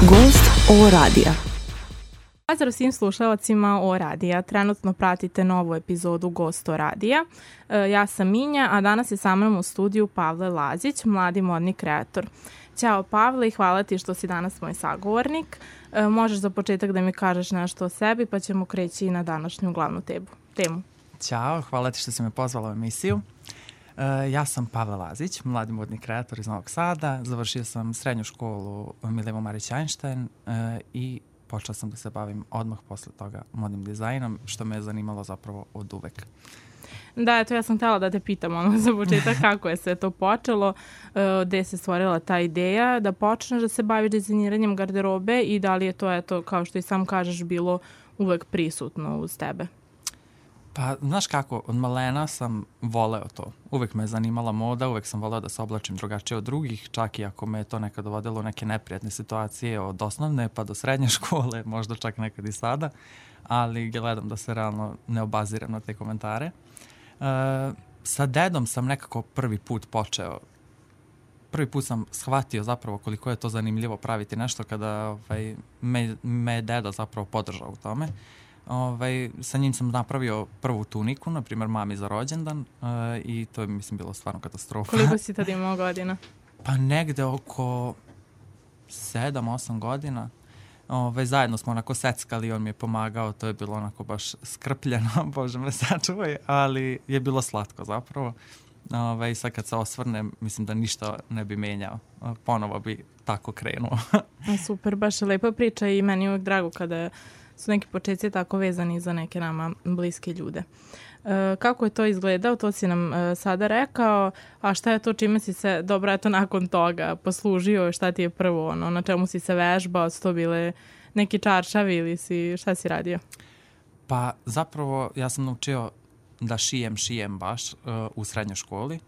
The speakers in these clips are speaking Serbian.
Gost O radija. Pozdrav svim slušalacima O radija. Trenutno pratite novu epizodu Gost O radija. Ja sam Minja, a danas je sa mnom u studiju Pavle Lazić, mladi modni kreator. Ćao Pavle i hvala ti što si danas moj sagovornik. Možeš za početak da mi kažeš nešto o sebi, pa ćemo kreći na današnju glavnu temu. Ćao, hvala ti što si me pozvala u emisiju. Ja sam Pavle Lazić, mladi modni kreator iz Novog Sada. Završio sam srednju školu Milivo Marić Einstein i počeo sam da se bavim odmah posle toga modnim dizajnom, što me je zanimalo zapravo od uvek. Da, eto ja sam htjela da te pitam za početak kako je sve to počelo, gde se stvorila ta ideja da počneš da se baviš dizajniranjem garderobe i da li je to, eto, kao što i sam kažeš, bilo uvek prisutno uz tebe? Pa, znaš kako, od malena sam voleo to. Uvek me je zanimala moda, uvek sam voleo da se oblačim drugačije od drugih, čak i ako me je to nekad dovodilo u neke neprijatne situacije od osnovne pa do srednje škole, možda čak nekad i sada, ali gledam da se realno ne obaziram na te komentare. Sa dedom sam nekako prvi put sam shvatio zapravo koliko je to zanimljivo praviti nešto kada me je deda zapravo podržao u tome. Sa njim sam napravio prvu tuniku, na primjer mami za rođendan, i to je, mislim, bilo stvarno katastrofa. Koliko si tad imao godina? Pa negde oko 7-8 godina. Zajedno smo onako seckali, on mi je pomagao, to je bilo onako baš skrpljeno, Bože me sačuvaj, ali je bilo slatko zapravo. Sad kad se osvrnem, mislim da ništa ne bi menjao. Ponovo bi tako krenuo. Super, baš je lepa priča i meni je uvijek drago kada su neki početci tako vezani za neke nama bliske ljude. Kako je to izgledao, to si nam sada rekao, a šta je to čime si se, dobro, eto, nakon toga poslužio, šta ti je prvo, na čemu si se vežbao, su to bile neki čaršavi ili šta si radio? Pa zapravo ja sam naučio da šijem baš u srednjoj školi.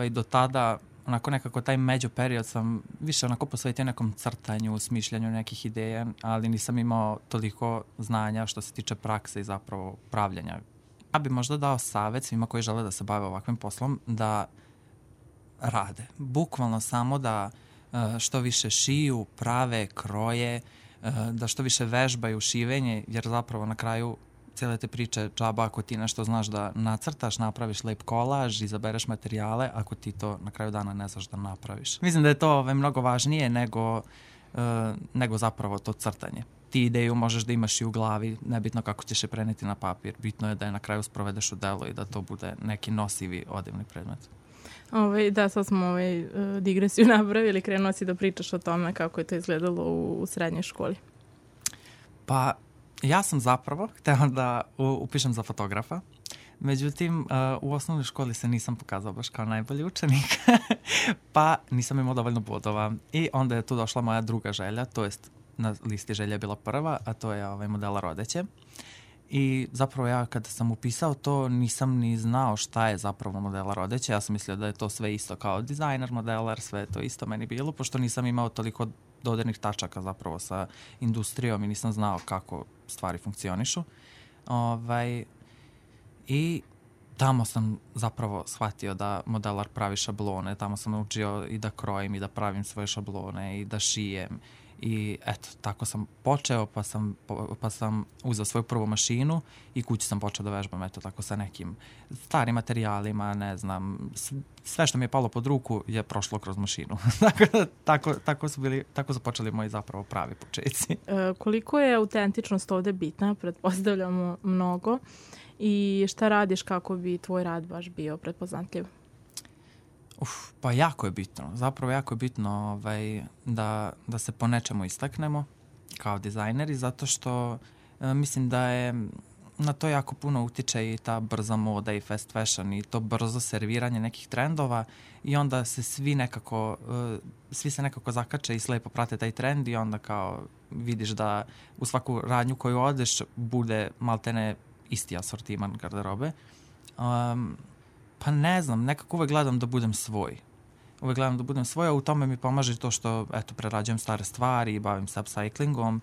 Do tada onako nekako taj među period sam više onako posvetio nekom crtanju, smišljanju nekih ideja, ali nisam imao toliko znanja što se tiče prakse i zapravo pravljenja. Ja bi možda dao savjet svima koji žele da se bave ovakvim poslom da rade. Bukvalno samo da što više šiju, prave, kroje, da što više vežbaju šivenje, jer zapravo na kraju cijele te priče džaba ako ti nešto znaš da nacrtaš, napraviš lep kolaž, izabereš materijale, ako ti to na kraju dana ne znaš da napraviš. Mislim da je to mnogo važnije nego zapravo to crtanje. Ti ideju možeš da imaš i u glavi, nebitno kako ćeš je preneti na papir. Bitno je da je na kraju sprovedeš u delo i da to bude neki nosivi odevni predmet. Da, sad smo digresiju napravili, krenuo si da pričaš o tome kako je to izgledalo u srednjoj školi. Pa, ja sam zapravo htela da upišem za fotografa, međutim u osnovnoj školi se nisam pokazao baš kao najbolji učenik, pa nisam imao dovoljno bodova i onda je tu došla moja druga želja, to jest na listi želja je bila prva, a to je modela rodeće. I zapravo ja kada sam upisao to nisam ni znao šta je zapravo modela rodeće, ja sam mislio da je to sve isto kao dizajner, modelar, sve je to isto meni bilo, pošto nisam imao toliko dodirnih tačaka zapravo sa industrijom i nisam znao kako stvari funkcionišu. I tamo sam zapravo shvatio da modelar pravi šablone, tamo sam naučio i da krojim i da pravim svoje šablone i da šijem. I eto, tako sam počeo, pa sam uzeo svoju prvu mašinu i kući sam počeo da vežbam, eto, tako sa nekim starim materijalima, ne znam, sve što mi je palo pod ruku je prošlo kroz mašinu. Tako su počeli moji zapravo pravi početci. Koliko je autentičnost ovde bitna, pretpostavljamo mnogo, i šta radiš kako bi tvoj rad baš bio prepoznatljiv? Pa jako je bitno. Zapravo jako je bitno da se po nečemu istaknemo kao dizajneri, zato što mislim da je na to jako puno utiče i ta brza moda i fast fashion i to brzo serviranje nekih trendova i onda se svi se nekako zakače i slepo prate taj trend i onda kao vidiš da u svaku radnju koju odeš bude maltene isti asortiman garderobe. Pa ne znam, nekako uvek gledam da budem svoj. A u tome mi pomaže to što, eto, prerađujem stare stvari i bavim se upcyclingom.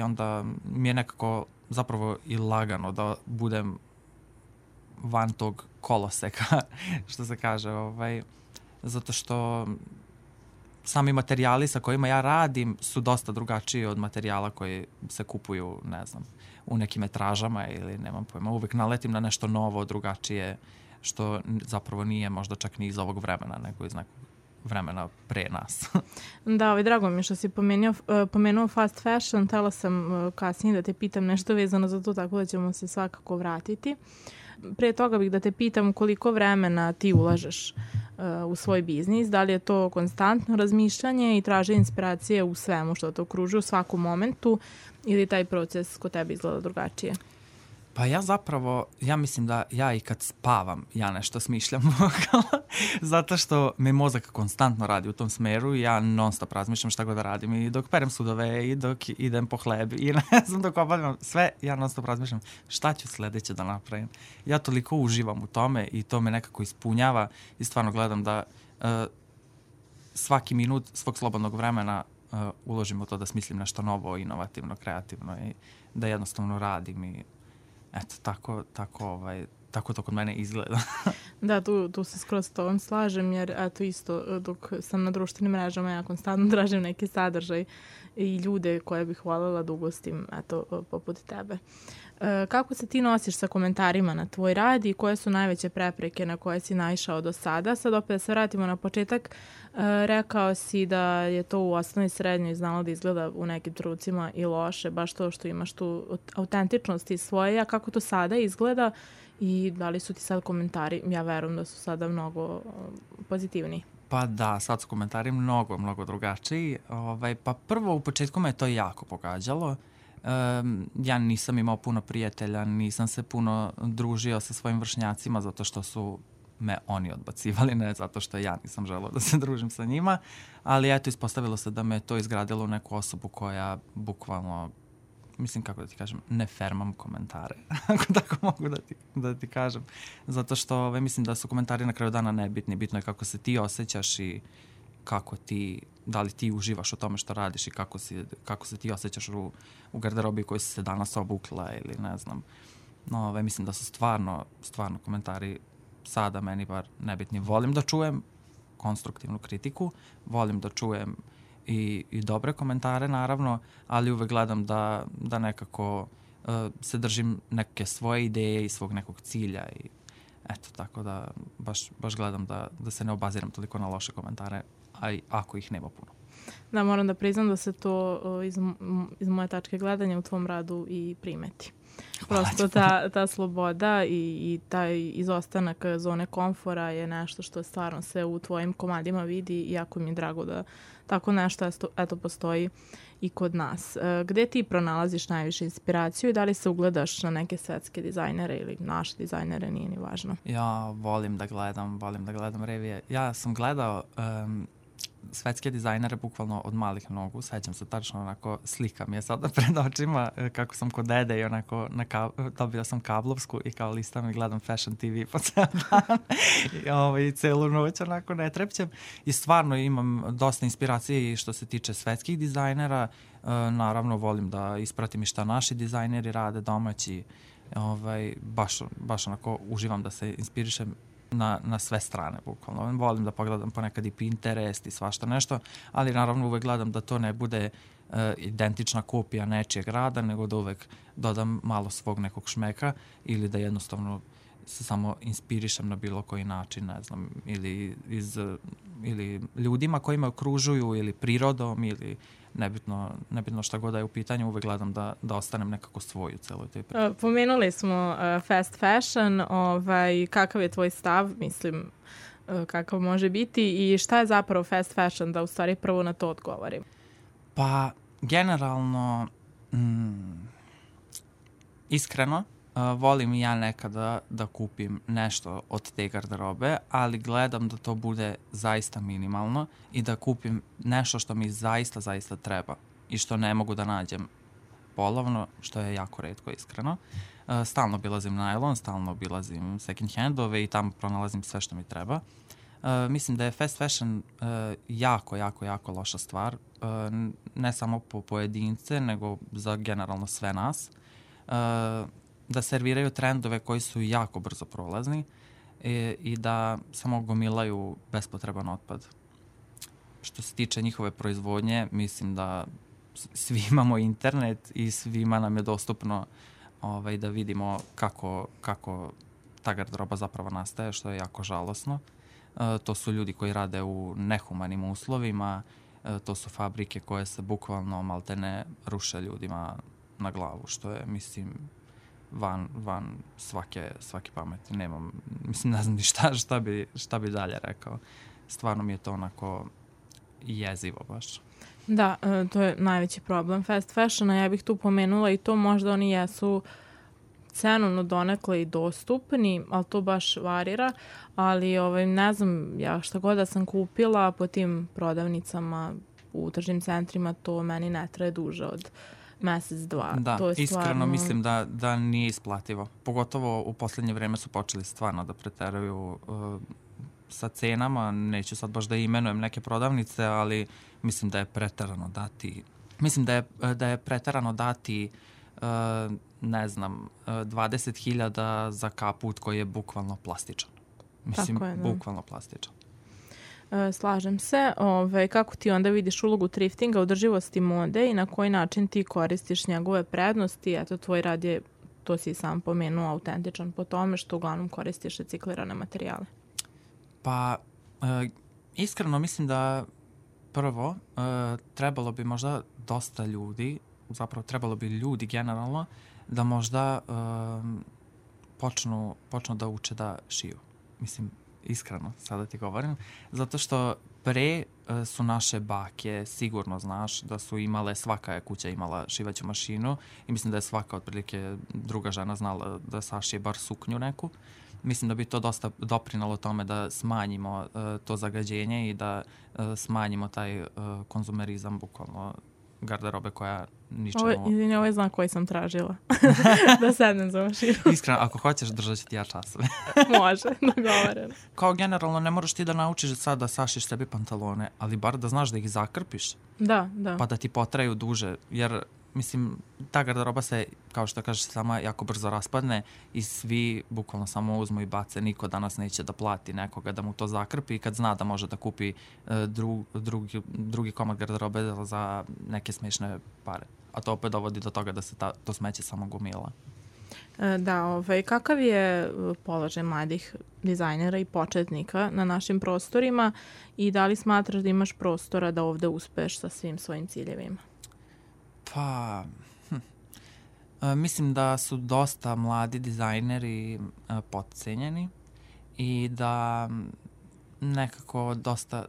Onda mi je nekako zapravo i lagano da budem van tog koloseka, što se kaže. Zato što sami materijali sa kojima ja radim su dosta drugačiji od materijala koji se kupuju, ne znam, u nekim metražama ili nemam pojma. Uvijek naletim na nešto novo, drugačije, što zapravo nije možda čak ni iz ovog vremena, nego iz nekog vremena pre nas. Da, drago mi što si pomenuo fast fashion. Htela sam kasnije da te pitam nešto vezano za to, tako da ćemo se svakako vratiti. Pre toga bih da te pitam koliko vremena ti ulažeš u svoj biznis, da li je to konstantno razmišljanje i traženje inspiracije u svemu što te okružuje u svakom momentu ili taj proces kod tebe izgleda drugačije? Pa ja mislim da ja i kad spavam, ja nešto smišljam zato što me mozak konstantno radi u tom smeru i ja non stop razmišljam šta god da radim i dok perem sudove i dok idem po hleb i ne znam dok obavljam sve, ja non stop razmišljam šta ću sledeće da napravim. Ja toliko uživam u tome i to me nekako ispunjava i stvarno gledam da svaki minut svog slobodnog vremena uložim u to da smislim nešto novo, inovativno, kreativno i da jednostavno radim i eto, tako to kod mene izgleda. Da, tu se skroz s tobom slažem, jer eto isto dok sam na društvenim mrežama ja konstantno tražim neki sadržaj i ljude koje bih voljela da ugostim, eto, poput tebe. Kako se ti nosiš sa komentarima na tvoj rad i koje su najveće prepreke na koje si naišao do sada? Sad opet da se vratimo na početak. Rekao si da je to u osnovnoj i srednjoj znalo da izgleda u nekim trenucima i loše, baš to što imaš tu autentičnost i svoje. A kako to sada izgleda i da li su ti sad komentari, ja verujem da su sada mnogo pozitivniji? Pa da, sad su komentari mnogo drugačiji. Pa prvo u početku me to jako pogađalo. Ja nisam imao puno prijatelja, nisam se puno družio sa svojim vršnjacima zato što su me oni odbacivali, ne zato što ja nisam želeo da se družim sa njima, ali eto ispostavilo se da me to izgradilo u neku osobu koja bukvalno, mislim kako da ti kažem, ne fermam komentare, ako tako mogu da ti kažem, zato što mislim da su komentari na kraju dana nebitni, bitno je kako se ti osjećaš i kako ti, da li ti uživaš u tome što radiš i kako se ti osjećaš u garderobi koju si se danas obukla ili ne znam. No, mislim da su stvarno komentari sada meni bar nebitni. Volim da čujem konstruktivnu kritiku, volim da čujem i dobre komentare naravno, ali uvek gledam da nekako se držim neke svoje ideje i svog nekog cilja i eto, tako da baš gledam da se ne obaziram toliko na loše komentare, a i ako ih nema puno. Da, moram da priznam da se to iz moje tačke gledanja u tvom radu i primeti. Prosto ta sloboda i taj izostanak zone komfora je nešto što stvarno se u tvojim komadima vidi i jako mi je drago da tako nešto eto postoji i kod nas. Gde ti pronalaziš najviše inspiraciju i da li se ugledaš na neke svetske dizajnere ili naše dizajnere, nije ni važno? Ja volim da gledam revije. Ja sam gledao svetske dizajnere bukvalno od malih nogu. Sećam se tačno onako, slika mi je sada pred očima kako sam kod dede i onako dobila sam kablovsku i kao listam i gledam Fashion TV po ceo dan i celu noć onako ne trepćem. I stvarno imam dosta inspiracije i što se tiče svetskih dizajnera. Naravno volim da ispratim i šta naši dizajneri rade domaći. Baš onako uživam da se inspirišem na sve strane, bukvalno. Volim da pogledam ponekad i Pinterest i svašta nešto, ali naravno uvek gledam da to ne bude identična kopija nečijeg rada, nego da uvek dodam malo svog nekog šmeka ili da jednostavno se samo inspirišem na bilo koji način, ne znam, ili ljudima koji me okružuju ili prirodom ili nebitno šta god da je u pitanju, uvek gledam da ostanem nekako svoj u celoj toj priči. Pomenuli smo fast fashion, kakav je tvoj stav, mislim, kakav može biti i šta je zapravo fast fashion, da u stvari prvo na to odgovorim? Pa, generalno, iskreno, volim i ja nekada da kupim nešto od te garderobe, ali gledam da to bude zaista minimalno i da kupim nešto što mi zaista treba i što ne mogu da nađem polovno, što je jako retko, iskreno. Stalno obilazim najlon, stalno obilazim second handove i tamo pronalazim sve što mi treba. Mislim da je fast fashion jako loša stvar, ne samo po pojedince, nego za generalno sve nas. Da serviraju trendove koji su jako brzo prolazni i da samo gomilaju bespotreban otpad. što se tiče njihove proizvodnje, mislim da svi imamo internet i svima nam je dostupno da vidimo kako ta garderoba zapravo nastaje, što je jako žalosno. To su ljudi koji rade u nehumanim uslovima, to su fabrike koje se bukvalno maltene ruše ljudima na glavu, što je, mislim, van svake pameti. Nemam, mislim, ne znam ni šta bi dalje rekao. Stvarno mi je to onako jezivo baš. Da, to je najveći problem fast fashiona. Ja bih tu pomenula i to, možda oni jesu cenovno donekle i dostupni, ali to baš varira, ali ne znam, ja šta god da sam kupila po tim prodavnicama u tržnim centrima, to meni ne traje duže od mesec, dva. Da, to je iskreno stvarno... mislim da nije isplativo. Pogotovo u poslednje vreme su počeli stvarno da preteraju sa cenama. Neću sad baš da imenujem neke prodavnice, ali mislim da je preterano dati... Mislim da je preterano dati ne znam, 20.000 za kaput koji je bukvalno plastičan. Mislim, tako je, bukvalno plastičan. Slažem se. Kako ti onda vidiš ulogu thriftinga, održivosti mode i na koji način ti koristiš njegove prednosti? Eto, tvoj rad je, to si sam pomenuo, autentičan po tome što uglavnom koristiš reciklirane materijale. Pa, iskreno mislim da prvo trebalo bi možda dosta ljudi, zapravo trebalo bi ljudi generalno da možda počnu da uče da šiju. Mislim, iskreno, sada ti govorim. Zato što pre su naše bake, sigurno znaš, da su imale, svaka je kuća imala šivaću mašinu i mislim da je svaka otprilike druga žena znala da sašije bar suknju neku. Mislim da bi to dosta doprinalo tome da smanjimo to zagađenje i da smanjimo taj konzumerizam, bukvalno garderobe koja ničemu... Ovo je znak koji sam tražila. Da sednem za mašinu. Iskreno, ako hoćeš, držat ću ti ja časove. Može, dogovoreno. Kao generalno, ne moraš ti da naučiš sad da sašiš sebi pantalone, ali bar da znaš da ih zakrpiš. Da. Pa da ti potraju duže, jer mislim, ta garderoba se, kao što kažeš, sama jako brzo raspadne i svi bukvalno samo uzmu i bace. Niko danas neće da plati nekoga da mu to zakrpi kad zna da može da kupi drugi komad garderobe za neke smešne pare. A to opet dovodi do toga da se to smeće samo gomila. Da, kakav je položaj mladih dizajnera i početnika na našim prostorima i da li smatraš da imaš prostora da ovde uspeš sa svim svojim ciljevima? Pa, mislim da su dosta mladi dizajneri potcenjeni i da nekako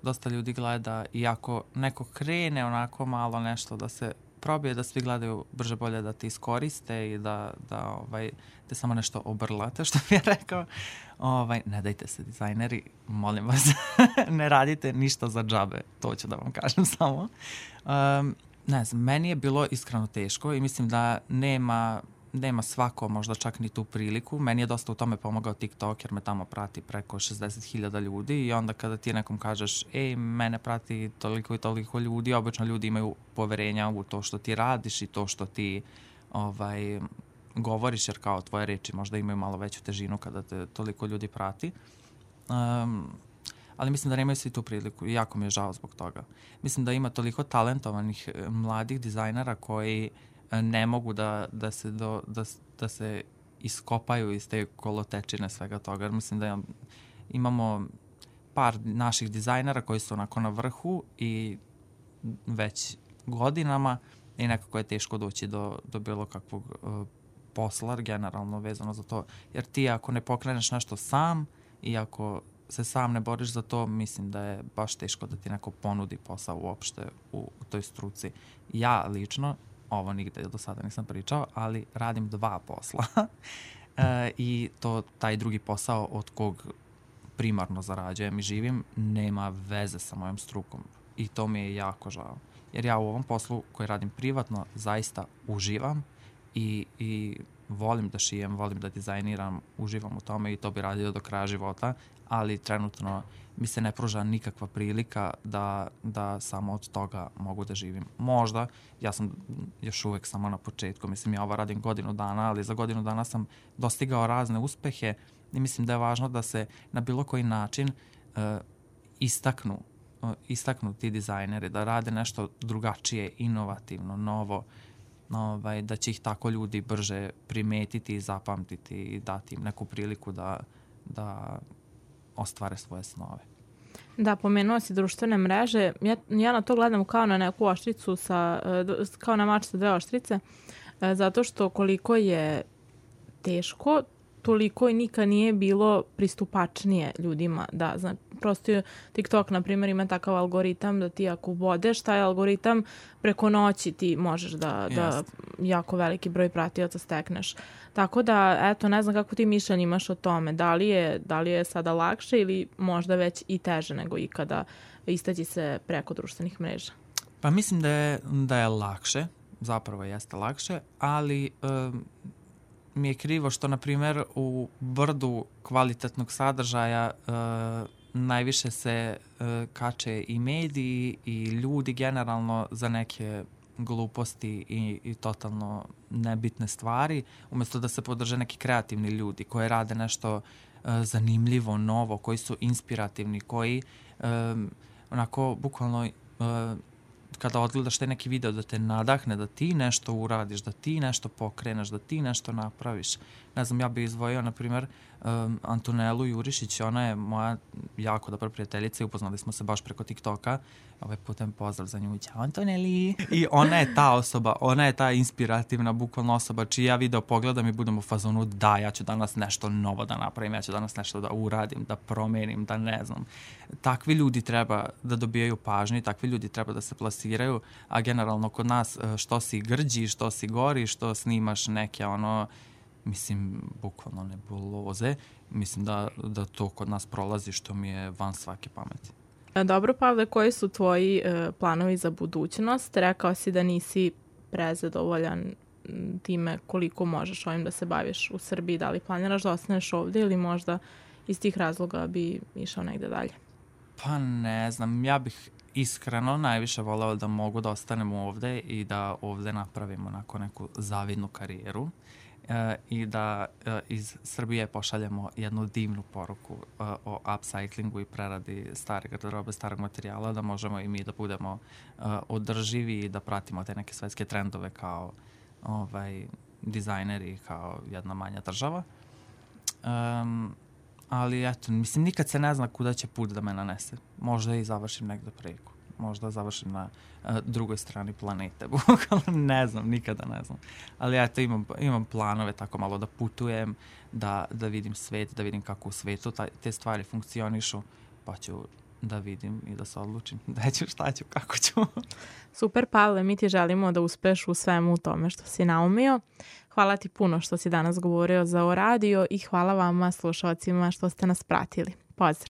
dosta ljudi gleda i ako neko krene onako malo nešto da se probije, da svi gledaju brže bolje da te iskoriste i da te samo nešto obrlate, što bi ja rekao. Ne dajte se dizajneri, molim vas, ne radite ništa za džabe, to ću da vam kažem samo. Ne znam, meni je bilo iskreno teško i mislim da nema svako možda čak ni tu priliku. Meni je dosta u tome pomogao TikTok jer me tamo prati preko 60.000 ljudi i onda kada ti nekom kažeš mene prati toliko i toliko ljudi, obično ljudi imaju poverenja u to što ti radiš i to što ti govoriš, jer kao tvoje reči možda imaju malo veću težinu kada te toliko ljudi prati. Ali mislim da nemaju svi tu priliku i jako mi je žao zbog toga. Mislim da ima toliko talentovanih mladih dizajnera koji ne mogu da se iskopaju iz te kolotečine svega toga. Mislim da imamo par naših dizajnera koji su onako na vrhu i već godinama i nekako je teško doći do bilo kakvog posla generalno vezano za to. Jer ti ako ne pokreneš nešto sam i ako se sam ne boriš za to, mislim da je baš teško da ti neko ponudi posao uopšte u toj struci. Ja lično, ovo nigde do sada nisam pričao, ali radim 2 posla i taj drugi posao od kog primarno zarađujem i živim nema veze sa mojom strukom i to mi je jako žao. Jer ja u ovom poslu koji radim privatno zaista uživam i volim da šijem, volim da dizajniram, uživam u tome i to bi radio do kraja života, ali trenutno mi se ne pruža nikakva prilika da samo od toga mogu da živim. Možda, ja sam još uvek samo na početku, mislim ja ovo radim godinu dana, ali za godinu dana sam dostigao razne uspehe i mislim da je važno da se na bilo koji način istaknu istaknuti dizajneri, da rade nešto drugačije, inovativno, novo, da će ih tako ljudi brže primetiti i zapamtiti i dati im neku priliku da ostvare svoje snove. Da, pomenuo si društvene mreže. Ja na to gledam kao na neku oštricu, kao na mač sa dve oštrice, zato što koliko je teško, toliko i nikad nije bilo pristupačnije ljudima. Da, znači, prosto TikTok, na primjer, ima takav algoritam da ti ako ubodeš taj algoritam, preko noći ti možeš da jako veliki broj pratioca stekneš. Tako da, eto, ne znam kako ti mišljenje imaš o tome. Da li je sada lakše ili možda već i teže nego ikada istaći se preko društvenih mreža? Pa mislim da je lakše, zapravo jeste lakše, ali mi je krivo što, na primjer, u brdu kvalitetnog sadržaja najviše se kače i mediji i ljudi generalno za neke gluposti i totalno nebitne stvari, umjesto da se podrže neki kreativni ljudi koji rade nešto zanimljivo, novo, koji su inspirativni, koji onako bukvalno kada odgledaš taj neki video da te nadahne, da ti nešto uradiš, da ti nešto pokreneš, da ti nešto napraviš. Ne znam, ja bih izdvojio, na primjer, Antonelu Jurišić, ona je moja jako dobra prijateljica i upoznali smo se baš preko TikToka. Ovaj putem pozdrav za nju. Ćao, Antoneli! I ona je ta osoba, ona je ta inspirativna, bukvalno osoba čiji ja video pogledam i budem u fazonu da, ja ću danas nešto novo da napravim, ja ću danas nešto da uradim, da promenim, da ne znam. Takvi ljudi treba da dobijaju pažnju, takvi ljudi treba da se plasiraju, a generalno kod nas što si grđi, što si gori, što snimaš neke mislim, bukvalno nebuloze. Mislim da to kod nas prolazi, što mi je van svake pameti. Dobro, Pavle, koji su tvoji planovi za budućnost? Rekao si da nisi prezadovoljan time koliko možeš ovim da se baviš u Srbiji. Da li planiraš da ostaneš ovdje ili možda iz tih razloga bi išao negde dalje? Pa ne znam, ja bih iskreno najviše voleo da mogu da ostanem ovdje i da ovdje napravimo onako neku zavidnu karijeru. I da iz Srbije pošaljemo jednu divnu poruku o upcyclingu i preradi stare garderobe, starog materijala, da možemo i mi da budemo održivi i da pratimo te neke svetske trendove kao dizajneri, kao jedna manja država. Ali eto, mislim, nikad se ne zna kuda će put da me nanese. Možda i završim negde preko. Možda završim na drugoj strani planete. Ne znam, nikada ne znam. Ali eto, imam planove tako malo da putujem, da vidim svet, da vidim kako u svetu te stvari funkcionišu, pa ću da vidim i da se odlučim da ću, šta ću, kako ću. Super, Pavle, mi ti želimo da uspeš u svemu u tome što si naumio. Hvala ti puno što si danas govorio za O radio i hvala vama slušalcima što ste nas pratili. Pozdrav!